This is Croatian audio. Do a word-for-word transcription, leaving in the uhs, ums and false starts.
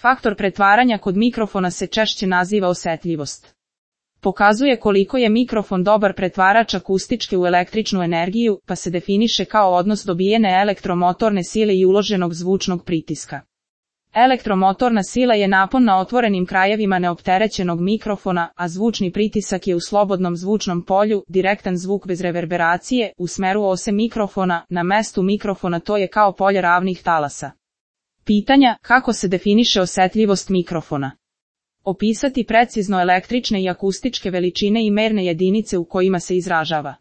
Faktor pretvaranja kod mikrofona se češće naziva osetljivost. Pokazuje koliko je mikrofon dobar pretvarač akustičke u električnu energiju, pa se definiše kao odnos dobijene elektromotorne sile i uloženog zvučnog pritiska. Elektromotorna sila je napon na otvorenim krajevima neopterećenog mikrofona, a zvučni pritisak je u slobodnom zvučnom polju, direktan zvuk bez reverberacije, u smeru ose mikrofona, na mestu mikrofona, to je kao polje ravnih talasa. Pitanja: kako se definiše osetljivost mikrofona? Opisati precizno električne i akustičke veličine i merne jedinice u kojima se izražava.